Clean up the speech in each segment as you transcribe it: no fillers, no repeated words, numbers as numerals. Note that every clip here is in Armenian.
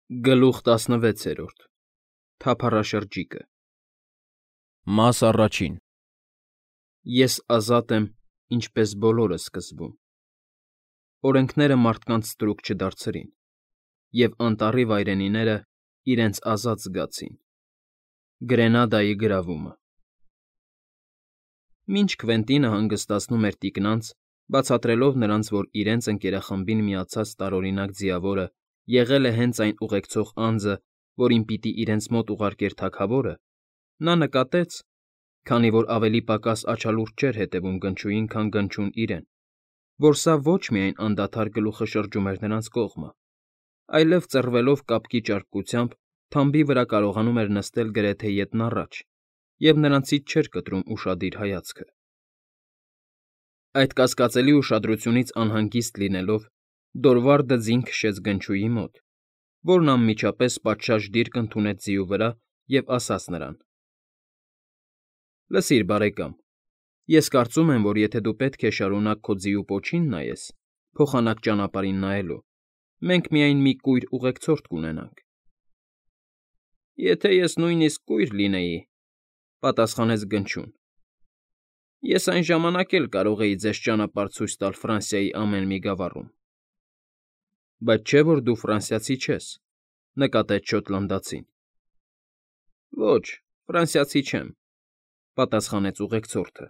Գլուխ 16 Թափառաշրջիկը Մաս առաջին Ես ազատ եմ, ինչպես բոլորը սկզբում։ Օրենքները մարդկանց ստրուկ չդարձրին, և անտառի վայրենիները իրենց ազատ զգացին։ Գրենադայի գրավումը Մինչ Քվենտինը հանգստացնում էր տիկնանց, բացատրելով նրանց, որ իրենց ընկերախմբին միացած տարօրինակ ձիավորը եղել է հենց այն ուղեկցող անձը, որին պիտի իրենց մոտ ուղարկեր թագավորը, նա նկատեց, քանի որ ավելի պակաս աչալուրջ չէր հետևում Գնչուին, քան Գնչուն իրեն, որ սա ոչ միայն անդադար գլուխը շրջում էր նրանց կողմը, այլև ծռվելով կապկի ճարպկությամբ թամբի վրա կարողանում էր նստել գրեթե ետն առաջ և նրանցից չէր կտրում ուշադիր հայացքը։ Այդ կասկածելի ուշադրությունից անհանգիստ լինելով, Դորվարդը ձին քշեց Գնչուի մոտ, որն անմիջապես պատշաճ դիրք ընդունեց ձիու վրա և ասաց նրան. «Լսիր, բարեկամ, ես կարծում եմ, որ եթե դու պետք է շարունակ քո ձիու պոչին նայես, փոխանակ ճանապարհին նայելու, մենք միայն մի կույր ուղեկցորդ կունենանք»։ «Եթե ես նույնիսկ կույր լինեի,֊ պատասխանեց Գնչուն,֊ ես այն ժամանակ էլ կարող էի ձեզ ճանապարհ ցույց տալ Ֆրանսիայի ամեն մի գավառում»։ «Բայց չէ՞ որ դու ֆրանսիացի չես,֊ նկատեց շոտլանդացին։ «Ոչ, ֆրանսիացի չեմ,֊ պատասխանեց ուղեկցորդը։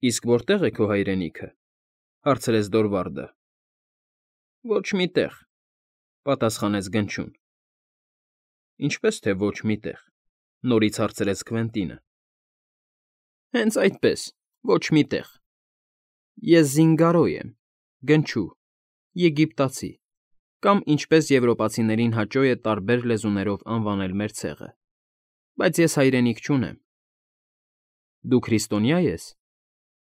Իսկ որտե՞ղ է քո հայրենիքը,֊ հարցրեց Դորվարդը։ «Ոչ մի տեղ,֊ պատասխանեց Գնչուն։ Ինչպե՞ս թե ոչ մի տեղ,֊ նորից հարցրեց Քվենտինը։ «Հենց այդպես, ոչ մի տեղ։ Ես Զինգարո եմ, Գնչու, Եգիպտացի, կամ ինչպես եվրոպացիներին հաճո է տարբեր լեզուներով անվանել մեր ցեղը, բայց ես հայրենիք չունեմ»։ «Դու քրիստոնյա ես,֊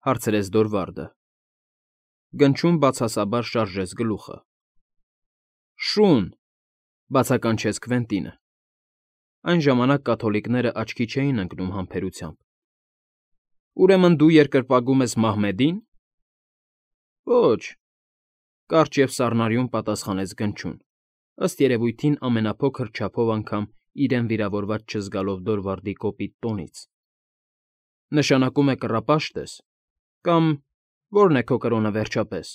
հարցրեց Դորվարդը։ Գնչուն բացասաբար շարժեց գլուխը։ «Շուն,֊ բացականչեց Քվենտինը։ Այն ժամանակ կաթոլիկները աչքի չէին ընկնում համբերությամբ։ «Ուրեմն դու երկրպագում ես Մահմեդի՞ն»։ «Ոչ,֊ կարճ և սառնարյուն պատասխանեց Գնչուն, ըստ երևույթին ամենափոքր չափով անգամ իրեն վիրավորված չզգալով Դորվարդի կոպիտ տոնից։֊ Նշանակում է կռապաշտ ես, կամ ո՞րն է քո կրոնը վերջապես»։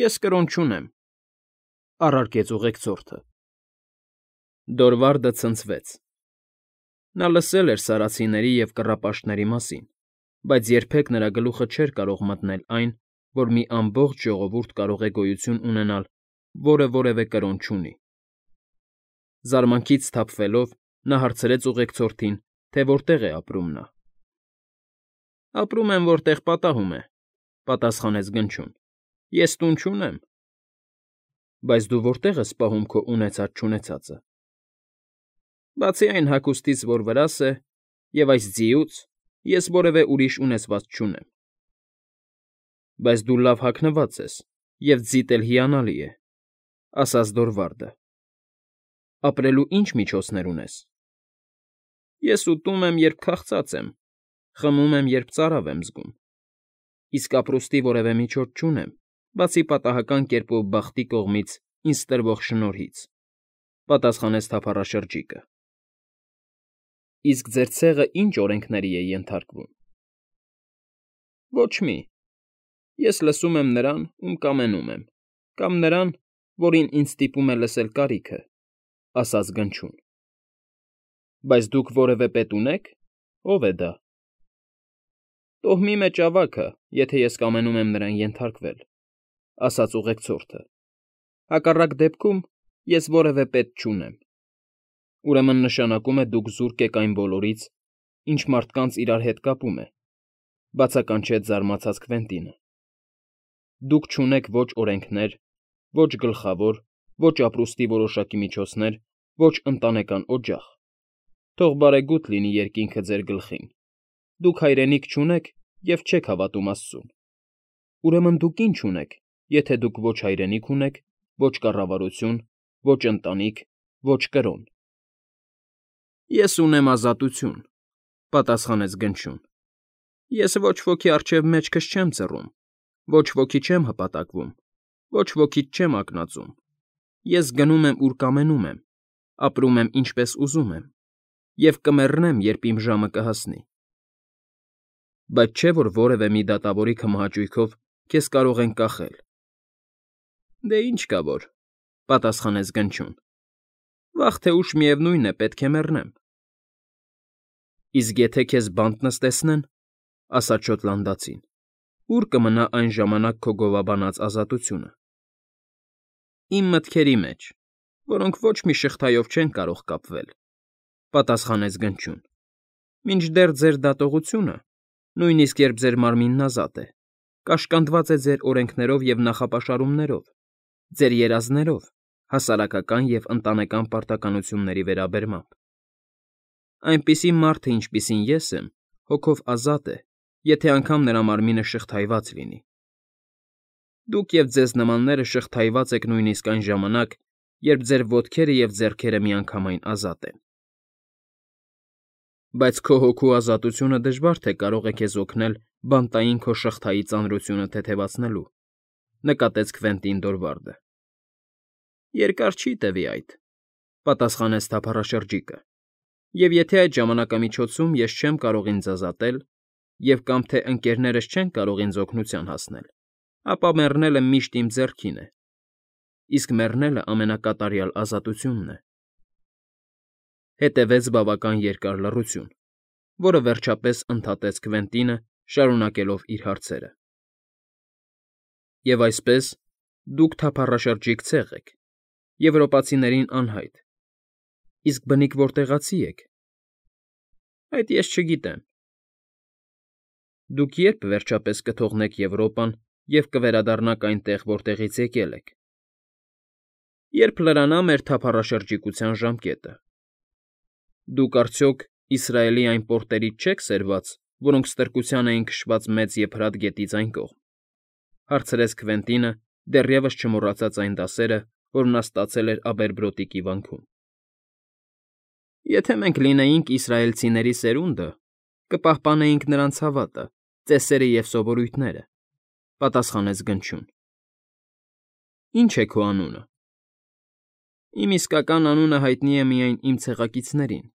«Ես կրոն չունեմ,֊ առարկեց ուղեկցորդը։ Դորվարդը ցնցվեց։ Նա լսել էր սարացիների և կռապաշտների մասին, բայց երբեք նրա գլուխը չէր կարող մտնել այն, որ մի ամբողջ ժողովուրդ կարող է գոյություն ունենալ, որը որևէ կրոն չունի։ Զարմանքից սթափվելով՝ նա հարցրեց ուղեկցորդին, թե որտեղ է ապրում նա։ «Ապրում եմ, որտեղ պատահում է,֊ պատասխանեց Գնչուն։ Ես տուն չունեմ»։ «Բայց դու որտե՞ղ ես պահում քո ունեցած֊չունեցածը»։ «Բացի այն հագուստից, որ վրաս է, և այս ձիուց, ես որևէ ուրիշ ունեցված չունեմ»։ «Բայց դու լավ հագնված ես, և ձիդ էլ հիանալի է,֊ ասաց Դորվարդը։ Ապրելու ի՞նչ միջոցներ ունես։ «Ես ուտում եմ, երբ քաղցած եմ, խմում եմ, երբ ծարավ եմ զգում, իսկ ապրուստի որևէ միջոց չունեմ, բացի պատահական կերպով բախտի կողմից ինձ տրվող շնորհից»,֊ պատասխանեց թափառաշրջիկը։ «Իսկ ձեր ցեղը ի՞նչ օրենքների է ենթարկվում»։ «Ոչ մի։ Ես լսում եմ նրան, ում կամենում եմ, կամ նրան, որին ինձ ստիպում է լսել կարիքը,֊ ասաց Գնչուն։ «Բայց դուք որևէ պետ ունե՞ք, ո՞վ է դա»։ «Տոհմի մեջ ավագը, եթե ես կամենում եմ նրան ենթարկվել,֊ ասաց ուղեկցորդը։ «Հակառակ դեպքում ես որևէ պետ չունեմ»։ «Ուրեմն նշանակում է դուք զուրկ եք այն բոլորից, ինչ մարդկանց իրար հետ կապում է,֊ բացականչեց զարմացած Քվենտինը։ «Դուք չունեք ոչ օրենքներ, ոչ գլխավոր, ոչ ապրուստի որոշակի միջոցներ, ոչ ընտանեկան օջախ։ Թող բարեգութ լինի երկինքը ձեր գլխին։ Դուք հայրենիք չունեք և չեք հավատում Աստծուն։ Ուրեմն դուք ի՞նչ ունեք, եթե դուք ոչ հայրենիք ունեք, ոչ կառավարություն, ոչ ընտանիք, ոչ կրոն»։ «Ես ունեմ ազատություն,֊ պատասխանեց Գնչուն։ «Ես ոչ ոքի առջև մեջքս չեմ ծռում, ոչ ոքի չեմ հպատակվում, ոչ ոքից չեմ ակնածում։ Ես գնում եմ, ուր կամենում եմ, ապրում եմ, ինչպես ուզում եմ, և կմեռնեմ, երբ իմ ժամը կհասնի։ Բայց չէ՞ որ որևէ մի դատավորի քմահաճույքով քեզ կարող են կախել։ Դե ինչ կա որ,֊ պատասխանեց Գնչուն,֊ վաղ թե ուշ միևնույն է, պետք է մեռնեմ։ Իսկ եթե քեզ բանտ նստեցնեն,֊ ասաց շոտլանդացին,֊ ո՞ւր կմնա այն ժամանակ քո գովաբանած ազատությունը։ Իմ մտքերի մեջ, որոնք ոչ մի շղթայով չեն կարող կապվել,֊ պատասխանեց Գնչուն,֊ մինչդեռ ձեր դատողությունը, նույնիսկ երբ ձեր մարմինն ազատ է, կաշկանդված է ձեր օրենքներով և նախապաշարումներով, ձեր երազներով, հասարակական և ընտանեկան պարտականությունների վերաբերմամբ։ Այնպիսի մարդը, ինչպիսին ես եմ, հոգով ազատ է, եթե անգամ նրա մարմինը շղթայված լինի։ Դուք և ձեզ նմանները շղթայված եք նույնիսկ այն ժամանակ, երբ ձեր ոտքերը և ձեռքերը միանգամայն ազատ են։ Բայց քո հոգու ազատությունը դժվար թե կարող է քեզ օգնել բանտային քո շղթայի ծանրությունը թեթևացնելու,֊ նկատեց Քվենտին Դորվարդը։ Երկար չի տևի այդ,֊ պատասխանեց թափառաշրջիկը,֊ և եթե այդ ժամանակամիջոցում ես չեմ կարող ինձ ազատել, և կամ թե ընկներներս չեն կարող ինձ օգնության հասնել, ապա մեռնելը միշտ իմ ձեռքին է, իսկ մեռնելը ամենակատարյալ ազատությունն է։ Հետևեց բավական երկար լռություն, որը վերջապես ընդհատեց Քվենտինը, շարունակելով իր հարցերը։ Եվ այսպես, դուք թափառաշրջիկ ցեղ եք, եվրոպացիներին անհայտ, իսկ բնիկ որտեղացի եք։ Այդ ես չգիտեմ։ Դուք ե՞րբ վերջապես կթողնեք Եվրոպան և կվերադառնաք այնտեղ, որտեղից եկել եք։ Երբ լրանա մեր թափառաշրջիկության ժամկետը։ Դուք արդյոք Իսրայելի այն պորտերից չեք սերված, որոնք ստրկության էին քշված Մեծ Եփրատ գետից այն կողմ,֊ հարցրեց Քվենտինը, դեռևս չմոռացած այն դասերը, որ նա ստացել էր Աբերբրոթիկի վանքում։ Եթե մենք լինեինք իսրայելցիների սերունդը, կպահպանեինք նրանց հավատը, ծեսերը և սովորույթները,֊ պատասխանեց Գնչուն։ Ի՞նչ է քո անունը։ Իմ իսկական անունը հայտնի է միայն իմ ցեղակիցներին։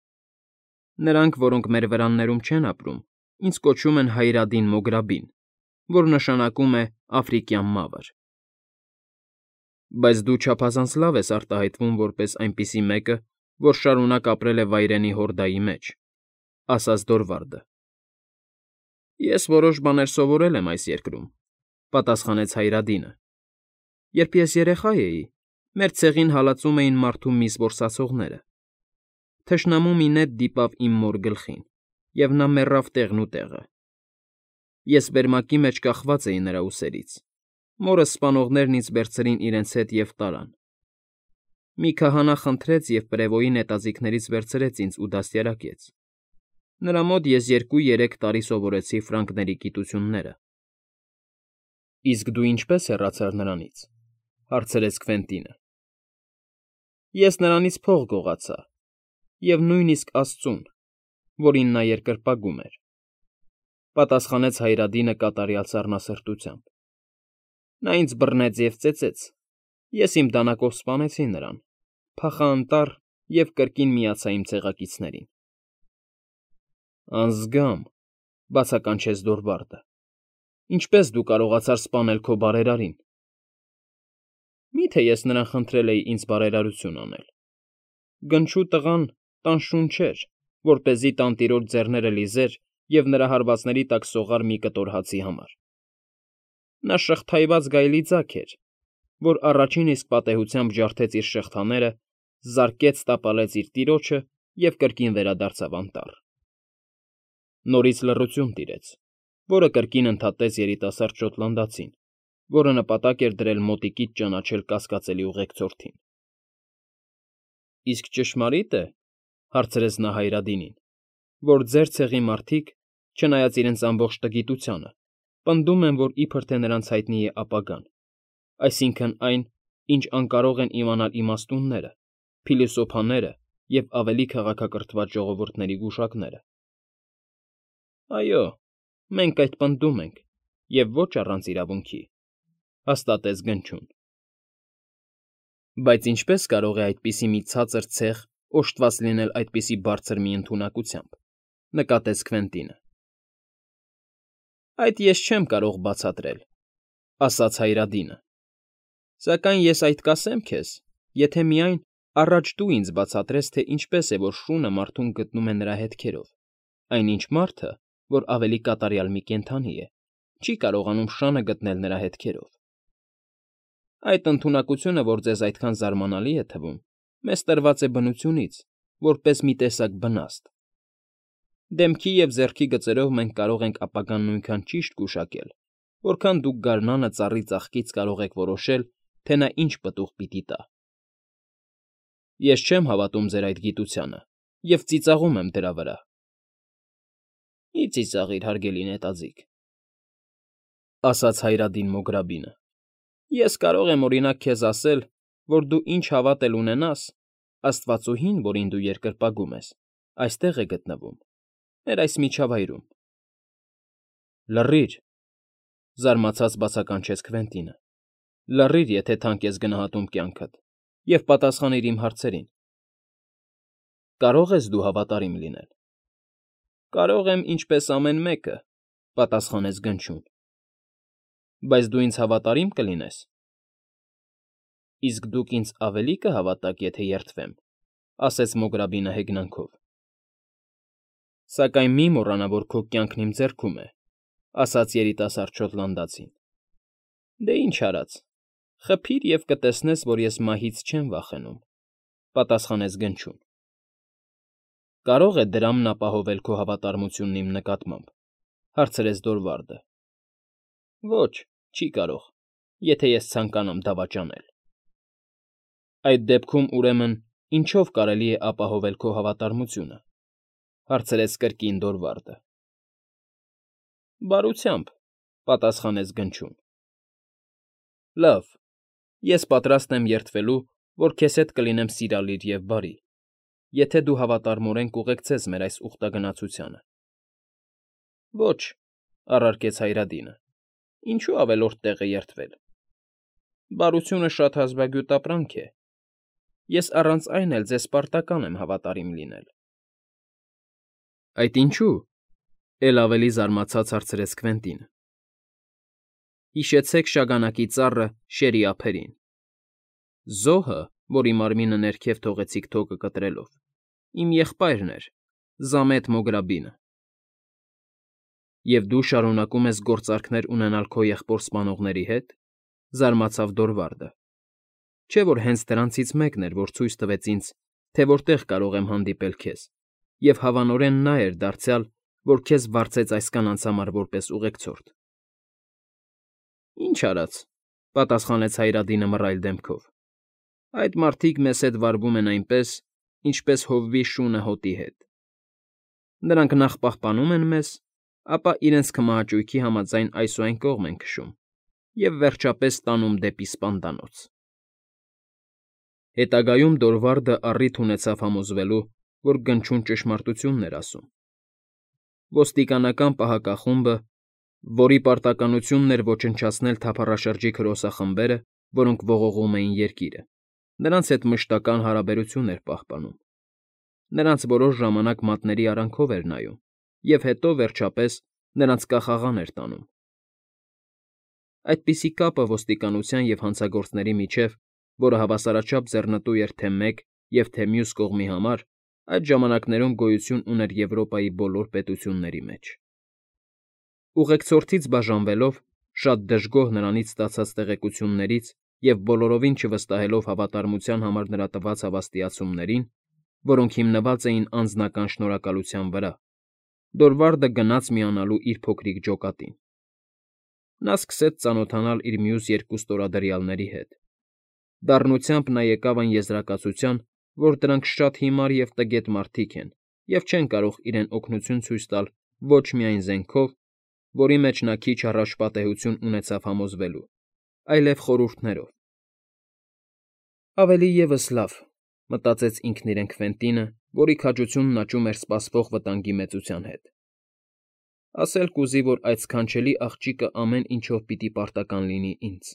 Նրանք, որոնք մեր վրաններում չեն ապրում, ինձ կոչում են Հայրադին Մոգրաբին, որ նշանակում է Աֆրիկյան Մավր։ Բայց դու չափազանց լավ ես արտահայտվում որպես այնպիսի մեկը, որ շարունակ ապրել է վայրենի հորդայի մեջ,֊ ասաց Դորվարդը։ Ես որոշ բաներ սովորել եմ այս երկրում,֊ պատասխանեց Հայրադինը։ Երբ ես երեխա էի, մեր ցեղին հալածում էին մարդու միս որսացողները։ Թշնամու մի նետ դիպավ իմ մոր գլխին, և նա մեռավ տեղն ու տեղը։ Ես վերմակի մեջ կախված էի նրա ուսերից, մորս սպանողներն ինձ վերցրին իրենց հետ և տարան։ Մի քահանա խնդրեց և պրևոյի նետաձիգներից վերցրեց ինձ ու դաստիարակեց։ Նրա մոտ ես 2-3 տարի սովորեցի ֆրանկների գիտությունները։ Իսկ դու ինչպե՞ս հեռացար նրանից,֊ հարցրեց Քվենտինը։ Ես նրանից փող գողացա, և նույնիսկ աստծուն, որին նա երկրպագում էր,֊ պատասխանեց Հայրադինը կատարյալ սառնասրտությամբ։ Նա ինձ բռնեց և ծեծեց, ես իմ դանակով սպանեցի նրան, փախա անտառ և կրկին միացա իմ ցեղակիցներին։ Անձգամ,֊ բացականչեց Դորվարդը,֊ ինչպե՞ս դու կարողացար սպանել քո բարերարին։ Մի՞թե ես նրան խնդրել էի ինձ բարերարություն անել։ Գնչու տղան տանշուն չէր, որպեսզի տանտիրոջ ձեռները լիզեր և նրա հարվածների տակ սողար մի կտոր հացի համար։ Նա շղթայված գայլի ձագ էր, որ առաջին իսկ պատեհությամբ ջարդեց իր շղթաները, զարկեց տապալեց իր տիրոջը և կրկին վերադարձավ անտառ։ Նորից լռություն տիրեց, որը կրկին ընդհատեց երիտասարդ շոտլանդացին, որը նպատակ էր դրել մոտիկից ճանաչել կասկածելի ուղեկցորդին։ Իսկ ճշմարի՞տ է,֊ հարցրեց նա Հայրադինին,֊ որ ձեր ցեղի մարդիկ, չնայած իրենց ամբողջ տգիտությանը, պնդում են, որ իբր թե նրանց հայտնի է ապագան, այսինքն այն, ինչ անկարող են իմանալ իմաստունները, փիլիսոփաները և ավելի քաղաքակրթված ժողովուրդների գուշակները։ Այո, մենք այդ պնդում ենք, և ոչ առանց իրավունքի,֊ հաստատեց Գնչուն։ Բայց ինչպե՞ս կարող է այդպիսի մի ցածր ցեղ օժտված լինել այդպիսի բարձր մի ընդունակությամբ,֊ նկատեց Քվենտինը։ ֊ Այդ ես չեմ կարող բացատրել,֊ ասաց Հայրադինը,֊ սակայն ես այդ կասեմ քեզ, եթե միայն առաջ դու ինձ բացատրես, թե ինչպես է, որ շունը մարդուն գտնում է նրա հետքերով, այնինչ մարդը, որ ավելի կատարյալ մի կենդանի է, չի կարողանում շանը գտնել նրա հետքերով։ Այդ ընդունակությունը, որ ձեզ այդքան զարմանալի է թվում, մեզ տրված է բնությունից, որպես մի տեսակ բնաստ։ Դեմքի և ձեռքի գծերով մենք կարող ենք ապագան նույնքան ճիշտ գուշակել, որքան դուք գարնանը ծառի ծաղկից կարող եք որոշել, թե նա ինչ պտուղ պիտի տա։ Ես չեմ հավատում ձեր այդ գիտությանը և ծիծաղում եմ դրա վրա։ Մի՛ ծիծաղիր, հարգելի նետաձիգ,֊ ասաց Հայրադին Մոգրաբինը։ Ես կարող եմ, օրինակ, քեզ ասել, որ դու ինչ հավատ էլ ունենաս, աստվածուհին, որին դու երկրպագում ես, այստեղ է գտնվում, մեր այս միջավայրում։ Լռիր,֊ զարմացած բացականչեց Քվենտինը,֊ լռիր, եթե թանկ ես գնահատում կյանքդ, և պատասխանիր իմ հարցերին։ Կարո՞ղ ես դու հավատարիմ լինել։ Կարող եմ ինչպես ամեն մեկը,֊ պատասխանեց Գնչուն։ Բայց դու ինձ հավատարի՞մ կլինես։ Իսկ դուք ինձ ավելի կհավատաք, եթե երդվեմ,֊ ասաց Մոգրաբինը հեգնանքով։ Սակայն մի մոռանա, որ քո կյանքն իմ ձեռքում է,֊ ասաց երիտասարդ շոտլանդացին։ Դե ինչ արած, խփիր և կտեսնես, որ ես մահից չեմ վախենում,֊ պատասխանեց Գնչուն։ Կարո՞ղ է դրամն ապահովել քո հավատարմությունն իմ նկատմամբ,֊ հարցրեց Դորվարդը։ Ոչ, չի կարող, եթե ես ցանկանամ դավաճանել։ Այդ դեպքում, ուրեմն, ինչո՞վ կարելի է ապահովել քո հավատարմությունը,֊ հարցրեց կրկին Դորվարդը։ Բարությամբ,֊ պատասխանեց Գնչուն։ Լավ, ես պատրաստ եմ երդվելու, որ քեզ հետ կլինեմ սիրալիր և բարի, եթե դու հավատարմորեն կուղեկցես մեր այս ուխտագնացությանը։ Ոչ,֊ առարկեց Հայրադինը,֊ ինչու ավելորդ տեղ է երդվել։ Բարությունը շատ հազվագյուտ ապրանք է։ Ես առանց այն էլ ձեզ պարտական եմ հավատարիմ լինել։ Այդ ինչու՞,֊ էլ ավելի զարմացած հարցրեց Քվենտինը։ Հիշեցեք շագանակի ծառը շերի ափերին։ Զոհը, որի մարմինը ներքև թողեցիք թոկը կտրելով, իմ եղբայրն էր, Զամեթ Մոգրաբինը։ Եվ դու շարունակում ես գործարքներ ունենալ քո եղբոր սպանողների հետ,֊ զարմացավ Դորվարդը։ Չէ՞ որ հենց դրանցից մեկն էր, որ ցույց տվեց ինձ, թե որտեղ կարող եմ հանդիպել քեզ, և հավանորեն նա էր դարձյալ, որ քեզ վարձեց այս կանանց համար որպես ուղեկցորդ։ Ինչ արած,֊ պատասխանեց Հայրադինը մռայլ դեմքով,֊ այդ մարդիկ մեզ հետ վարվում են այնպես, ինչպես հովվի շունը հոտի հետ։ Նրանք նախ պահպանում են մեզ, ապա իրենց քմահաճույքի համաձայն այս ու այն կողմ են քշում և, վերջապես, տանում դեպի սպանդանոց։ Հետագայում Դորվարդը առիթ ունեցավ համոզվելու, որ Գնչուն ճշմարտությունն էր ասում։ Ոստիկանական պահակախումբը, որի պարտականությունն էր ոչնչացնել թափառաշրջիկ հրոսախմբերը, որոնք ողողում էին երկիրը, նրանց հետ մշտական հարաբերություն էր պահպանում, նրանց որոշ ժամանակ մատների արանքով էր նայում և հետո, վերջապես, նրանց կախաղան էր տանում։ Այդպիսի կապը ոստիկանության և հանցագործների միջև, որը հավասարաչափ ձեռնտու էր թե մեկ և թե մյուս կողմի համար, այդ ժամանակներում գոյություն ուներ Եվրոպայի բոլոր պետությունների մեջ։ Ուղեկցորդից բաժանվելով, շատ դժգոհ նրանից ստացած տեղեկություններից և բոլորովին չվստահելով հավատարմության համար նրա տված հավաստիացումներին, որոնք հիմնված էին անձնական շնորհակալության վրա, Դորվարդը գնաց միանալու իր փոքրիկ ջոկատին։ Նա սկսեց ծանոթանալ իր մյուս երկու ստորադրյալների հետ։ Դառնությամբ նա եկավ այն եզրակացության, որ դրանք շատ հիմար և տգետ մարդիկ են և չեն կարող իրեն օգնություն ցույց տալ ոչ միայն զենքով, որի մեջ նա քիչ առաջ պատեհություն ունեցավ համոզվելու, այլև խորհուրդներով։ Ավելի ևս լավ,֊ մտածեց ինքն իրեն Քվենտինը, որի քաջությունն աճում էր սպասվող վտանգի մեծության հետ։ Ասել կուզի, որ այդ սքանչելի աղջիկը ամեն ինչով պիտի պարտական լինի ինձ։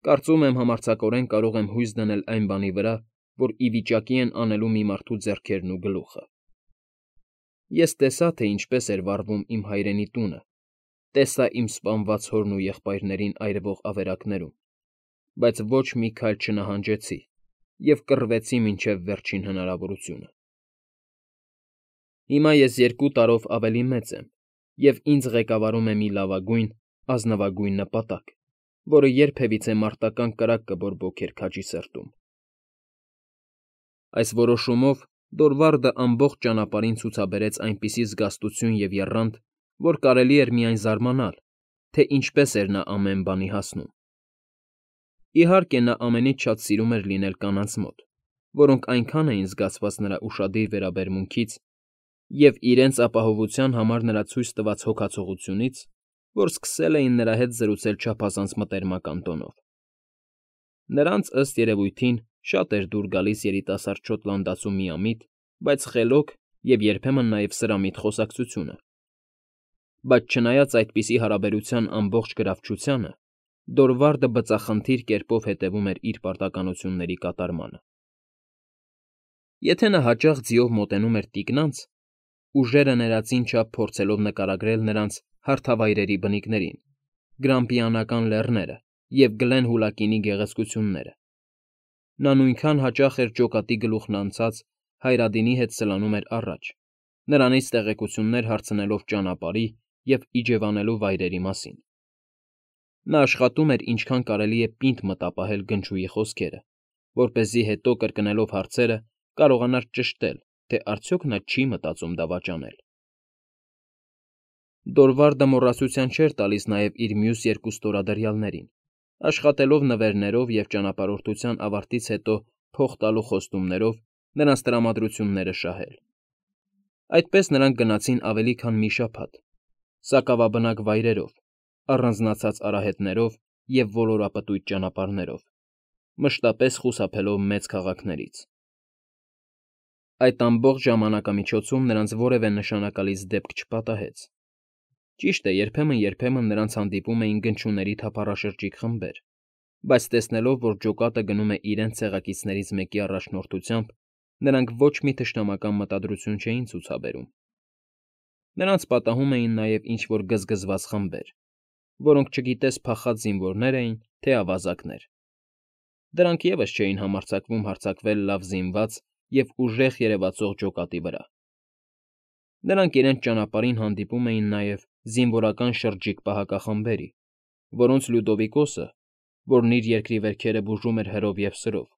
Կարծում եմ համարձակորեն կարող եմ հույս դնել այն բանի վրա, որ ի վիճակի են անելու մի մարդու ձեռքերն ու գլուխը։ Ես տեսա, թե ինչպես էր վառվում իմ հայրենի տունը, տեսա իմ սպանված հորն ու եղբայրներին այրվող ավերակներում, բայց ոչ մի քայլ չնահանջեցի և կռվեցի մինչև վերջին հնարավորությունը։ Հիմա ես 2 տարով ավելի մեծ եմ, և ինձ ղեկավարում է մի լավագույն, ազնվագույն նպատակ, որը երբևիցե մարտական կրակ կբորբոքեր քաջի սրտում։ Այս որոշումով Դորվարդը ամբողջ ճանապարհին ցուցաբերեց այնպիսի զգաստություն և եռանդ, որ կարելի էր միայն զարմանալ, թե ինչպես էր նա ամեն բանի հասնում։ Իհարկե, նա ամենից շատ սիրում էր լինել կանանց մոտ, որոնք այնքան էին զգացված նրա ուշադիր վերաբերմունքից և իրենց ապահովության համար նրա ցույց տված հոգացողությունից, որ սկսել էին նրա հետ զրուցել չափազանց մտերմական տոնով։ Նրանց, ըստ երևույթին, շատ էր դուր գալիս երիտասարդ շոտլանդացու միամիտ, բայց խելոք և երբեմն նաև սրամիտ խոսակցությունը։ Բայց չնայած այդպիսի հարաբերության ամբողջ գրավչությանը, Դորվարդը բծախնդիր կերպով հետևում էր իր պարտականությունների կատարմանը։ Եթե նա հաճախ ձիով մոտենում էր տիկնանց, ուժերը ներածին չափ փորձելով նկարագրել նրանց հարթավայրերի բնիկներին, գրամպիանական լեռները և Գլենհուլակինի գեղեցկությունները, նա նույնքան հաճախ էր ջոկատի գլուխն անցած Հայրադինի հետ սլանում էր առաջ, նրանից տեղեկություններ հարցնելով ճանապարհի և իջևանելու վայրերի մասին։ Նա աշխատում էր ինչքան կարելի է պինդ մտապահել գնչուի խոսքերը, որպեսզի հետո կրկնելով հարցերը կարողանար ճշտել, թե արդյոք նա չի մտածում դավաճանել։ Դորվարդը մոռացության չէր տալիս նաև իր մյուս 2 ստորադրյալներին, աշխատելով նվերներով և ճանապարհորդության ավարտից հետո փող տալու խոստումներով նրանց տրամադրությունները շահել։ Այդպես նրանք գնացին ավելի քան մի շաբաթ, սակավաբնակ վայրերով, առանձնացած արահետներով և ոլորապտույտ ճանապարհներով, մշտապես խուսափելով մեծ քաղաքներից։ Այդ ամբողջ ժամանակամիջոցում նրանց որևէ նշանակալից դեպք չպատահեց։ Ճիշտ է, երբեմն նրանց հանդիպում էին գնչուների թափառաշրջիկ խմբեր, բայց տեսնելով, որ ջոկատը գնում է իրենց ցեղակիցներից մեկի առաջնորդությամբ, նրանք ոչ մի թշնամական մտադրություն չէին ցուցաբերում։ Նրանց պատահում էին նաև ինչ-որ գզգզված խմբեր, որոնք չգիտես փախած զինվորներ էին, թե ավազակներ։ Դրանք ևս չէին համարձակվում հարձակվել լավ զինված և ուժեղ երևացող ջոկատի վրա։ Նրանք իրենց ճանապարհին հանդիպում էին նաև զինվորական շրջիկ պահակախմբերի, որոնց Լյուդովիկոսը, որն իր երկրի վերքերը բուժում էր հրով և սրով,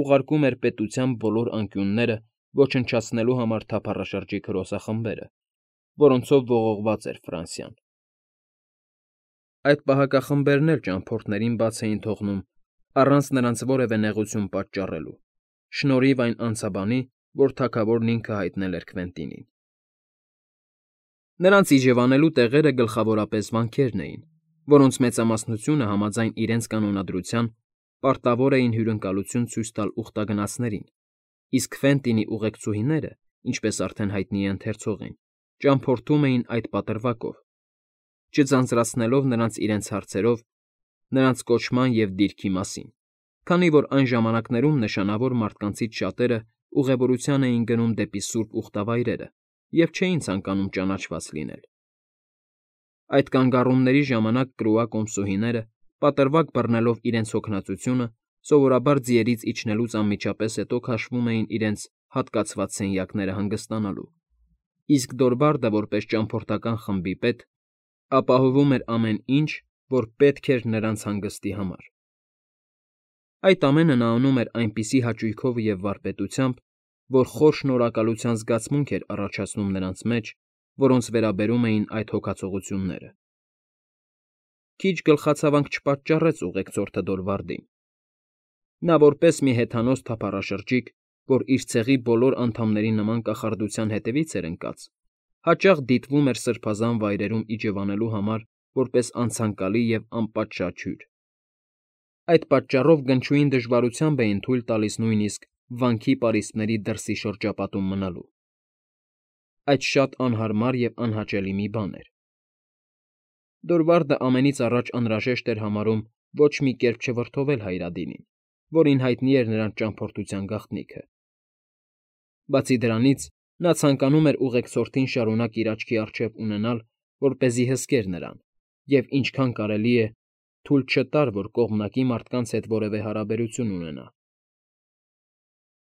ուղարկում էր պետության բոլոր անկյունները ոչնչացնելու համար թափառաշրջիկ հրոսախմբերը, որոնցով ողողված էր Ֆրանսիան։ Այդ պահակախմբերն էլ ճամփորդներին բաց էին թողնում առանց նրանց որևէ նեղություն պատճառելու, շնորհիվ այն անցաբանի, որ թագավորն ինքը հայտնել էր Քվենտինին։ Նրանց իջևանելու տեղերը գլխավորապես վանքերն էին, որոնց մեծամասնությունը համաձայն իրենց կանոնադրության պարտավոր էին հյուրընկալություն ցույց տալ ուխտագնացներին, իսկ Քվենտինի ուղեկցուհիները, ինչպես արդեն հայտնի է ընթերցողին, ճամփորդում էին այդ պատրվակով, չձանձրացնելով նրանց իրենց հարցերով նրանց կոչման և դիրքի մասին, քանի որ այն ժամանակներում նշանավոր մարդկանցից շատերը ուղևորության էին գնում դեպի սուրբ ուխտավայրերը և չէին ցանկանում ճանաչված լինել։ Այդ կանգառումների ժամանակ Կրուա կոմսուհիները, պատրվակ բռնելով իրենց հոգնածությունը, սովորաբար ձիերից իջնելուց անմիջապես հետո քաշվում էին իրենց հատկացված սենյակները հանգստանալու, իսկ Դորվարդը, որպես ճամփորդական խմբի պետ, ապահովում էր ամեն ինչ, որ պետք էր նրանց հանգստի համար։ Այդ ամենը նա անում էր այնպիսի հաճույքով և վարպետությամբ, որ խոր շնորհակալության զգացմունք էր առաջացնում նրանց մեջ, որոնց վերաբերում էին այդ հոգացողությունները։ Քիչ գլխացավանք չպատճառեց ուղեկցորդը Դորվարդին։ Նա որպես մի հեթանոս թափառաշրջիկ, որ իր ցեղի բոլոր անդամների նման կախարդության հետևից էր ընկած, հաճախ դիտվում էր սրբազան վայրերում իջևանելու համար որպես անցանկալի և անպատշաճ հյուր։ Այդ պատճառով գնչուին դժվարությամբ էին թույլ տալիս նույնիսկ վանքի պարիսպների դրսի շրջապատում մնալու։ Այդ շատ անհարմար և անհաճելի մի բան էր։ Դորվարդը ամենից առաջ անհրաժեշտ էր համարում ոչ մի կերպ չվրդովել Հայրադինին, որին հայտնի էր նրանց ճամփորդության գաղտնիքը. բացի դրանից, նա ցանկանում էր ուղեկցորդին շարունակ իր աչքի առջև ունենալ, որպեսզի հսկեր նրան և, ինչքան կարելի է, թույլ չտար, որ կողմանկի մարդկանց հետ որևէ հարաբերություն ունենա։